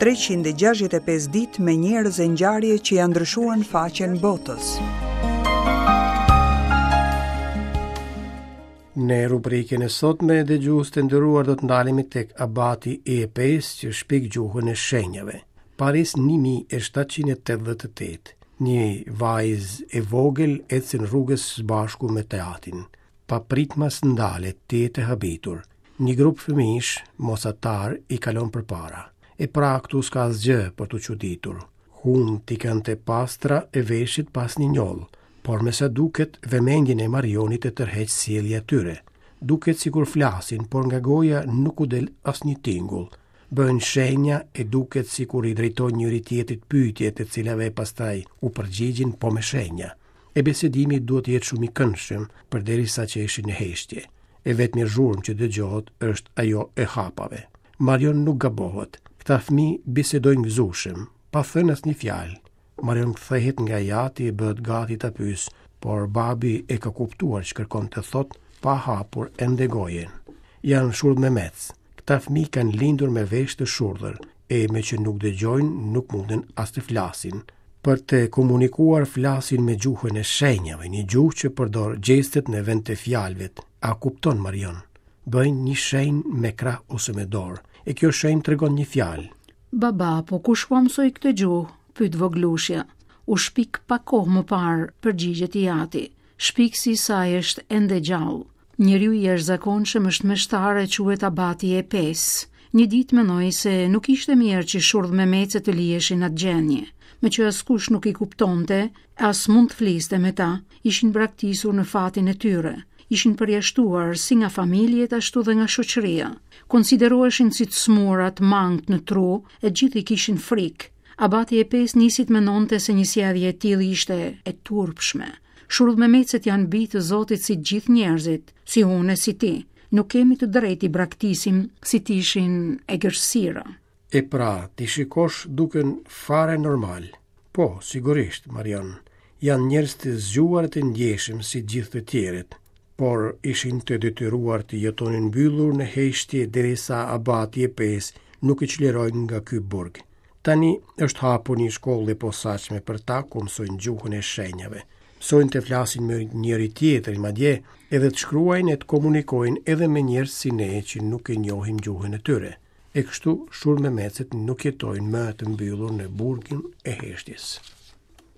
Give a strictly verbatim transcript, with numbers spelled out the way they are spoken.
treqind e gjashtëdhjetë e pesë ditë me njerëz e ngjarje që janë ndryshuar në faqen botës. Në rubrikën e sotme, dëgjues të nderuar, do të ndalemi tek abati i Epes që shpik gjuhën e shenjave. Paris një mijë e shtatëqind e tetëdhjetë e tetë. Një vajzë e vogël ecën rrugës së bashku me të atin. Papritmas ndalet, tejet e habitur. Një grup fëmijësh, mosatar, i kalon përpara. E pra këtu s'ka asgjë për t'u çuditur. Hunt i kanë të pastra e veshit pas një njollë, por me sa duket vëmendjen e Marionit e tërheq sjellja e tyre. Duket sikur flasin, por nga goja nuk u del asnjë tingull. Bëjnë shenja e duket sikur i drejtojnë njëri tjetrit pyetje të cilave pastaj u përgjigjin po me shenja. E bisedimi duhet të jetë shumë i këndshëm, përderisa që ishin në heshtje. E vetmja zhurmë që dëgjohet është ajo e hapave. Marion nuk gabohet. Këta fëmijë bisedojnë gëzueshëm, pa thënë asnjë fjalë. Marion kthehet nga i ati e bëhet gati ta pyes, por babi e ka kuptuar ç'kërkon të thotë pa hapur ende gojën. Janë shurdhmemec. Këta fëmijë kanë lindur me vesh të shurdhër, e me që nuk dëgjojnë, nuk munden as të flasin. Për të komunikuar flasin me gjuhën e shenjave, një gjuhë që përdor gjestet në vend të fjalëve. A kupton Marion? Bëjnë një shenjë me krah ose me dorë, e kjo shenjë tregon një fjalë. Baba, po kush po mësoi këtë gjuhë? Pyet vogëlushja. U shpik pak kohë më parë, përgjigjet i ati. Shpiksi i saj është ende gjallë. Njeriu i jashtëzakonshëm është meshtar e quhet abati e pesë. Një ditë mendoi se nuk ishte mirë që shurdhmemecet të liheshin atë gjendje. Me që askush nuk i kuptonte, as mund të fliste me ta, ishin braktisur në fatin e tyre. Ishin përjashtuar si nga familjet ashtu dhe nga shoqëria. Konsideroheshin si të smurat, të mangët në tru, e gjithë i kishin frikë. Abati e pesë nisi të mendonte se një sjellje e tillë ishte e turpshme. Shurdhmemecet janë bij të Zotit si gjithë njerëzit, si unë e si ti. Nuk kemi të drejtë i braktisim si të ishin egërsira. E pra, ti shikosh duken fare normal. Po, sigurisht, Marion, janë njerëz të zgjuar e të ndjeshëm si gjithë të tjerët, por ishin të detyruar të jetonin mbyllur në heshtje derisa abati e pesë nuk i çlirojnë nga ky burg. Tani është hapur një shkollë e posaçme për ta ku mësojnë gjuhën e shenjave. Mësojnë të flasin me njëri tjetrin, madje edhe të shkruajnë e të komunikojnë edhe me njerëz si ne që nuk e njohim gjuhën e tyre. E kështu shurdhmemecet nuk jetojnë më të mbyllur në burgun e heshtjes.